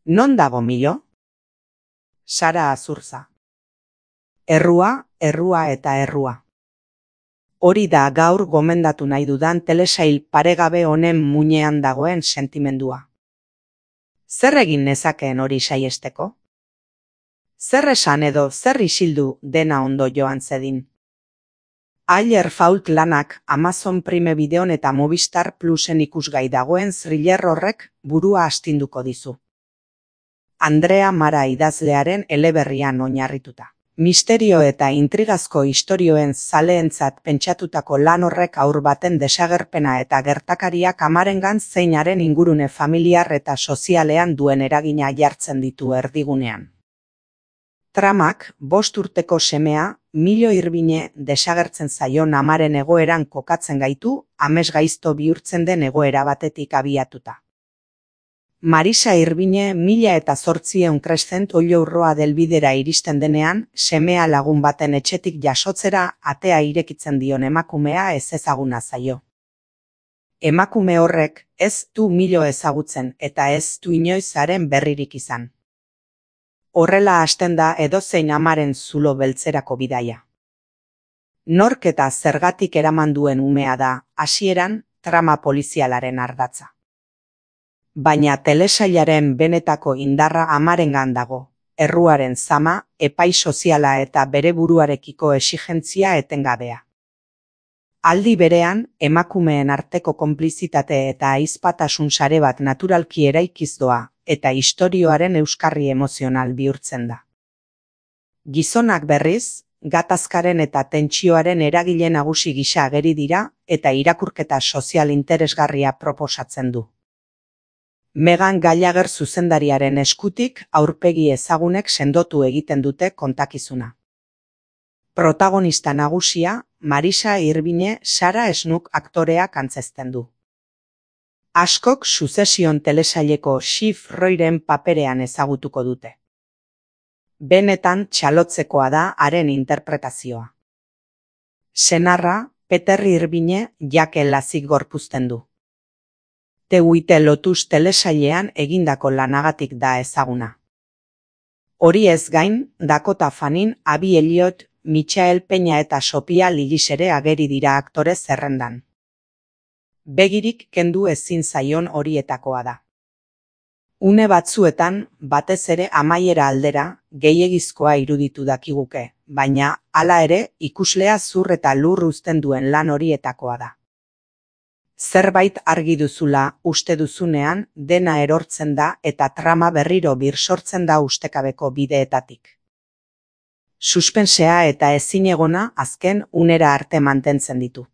Non dago Milo? Sara Azurza. Errua, errua eta errua. Hori da gaur gomendatu nahi dudan telesail paregabe honen muinean dagoen sentimendua. Zer egin nezakeen hori saiesteko? Zer esan edo zer isildu dena ondo joan zedin? Ailer Fault lanak Amazon Prime Videon eta Movistar Plusen ikusgai dagoen thriller horrek burua astinduko dizu. Andrea Mara idazlearen eleberrian oinarrituta. Misterio eta intrigazko istorioen zaleentzat pentsatutako lan horrek haur baten desagerpena eta gertakariak amarengan zeinaren ingurune familiar eta sozialean duen eragina jartzen ditu erdigunean. Tramak 5 urteko semea, Milo Irbine desagertzen zaion amaren egoeran kokatzen gaitu, amesgaizto bihurtzen den egoera batetik abiatuta. Marisa Irbine 1800 Crescent Oilourroa delbidera iristen denean, semea lagun baten etxetik jasotzera atea irekitzen dion emakumea ezezaguna zaio. Emakume horrek ez du Milo ezagutzen eta ez du inoiz haren berririk izan. Horrela hasten da edozein amaren zulo beltzerako bidaia. Nork eta zergatik eraman duen umea da, hasieran, trama polizialaren ardatza. Baina telesailaren benetako indarra amarengan dago, erruaren zama, epai soziala eta bere buruarekiko exigentzia etengabea. Aldi berean, emakumeen arteko konplizitate eta ahizpatasun sare bat naturalki eraikiz doa, eta istorioaren euskarri emozional bihurtzen da. Gizonak berriz, gatazkaren eta tentsioaren eragile nagusi gisa ageri dira eta irakurketa sozial interesgarria proposatzen du. Megan Gallagher zuzendariaren eskutik aurpegi ezagunek sendotu egiten dute kontakizuna. Protagonista nagusia, Marisa Irbine Sara Snook aktoreak antzezten du. Askok Succession telesaileko Shiv Royren paperean ezagutuko dute. Benetan txalotzekoa da haren interpretazioa. Senarra, Peter Irbine Jake Lazik gorpuzten du. The White Lotus telesailean egindako lanagatik da ezaguna. Hori ez gain, Dakota Fanning, Abby Elliot, Michael Peña eta Sophia Lillis ere ageri dira aktore zerrendan. Begirik kendu ezin zaion horietakoa da. Une batzuetan, batez ere amaiera aldera, gehiegizkoa iruditu dakiguke, baina, hala ere, ikuslea zur eta lur uzten duen lan horietakoa da. Zerbait argi duzula uste duzunean, dena erortzen da eta trama berriro birsortzen da ustekabeko bideetatik. Suspensea eta ezinegona azken unera arte mantentzen ditu.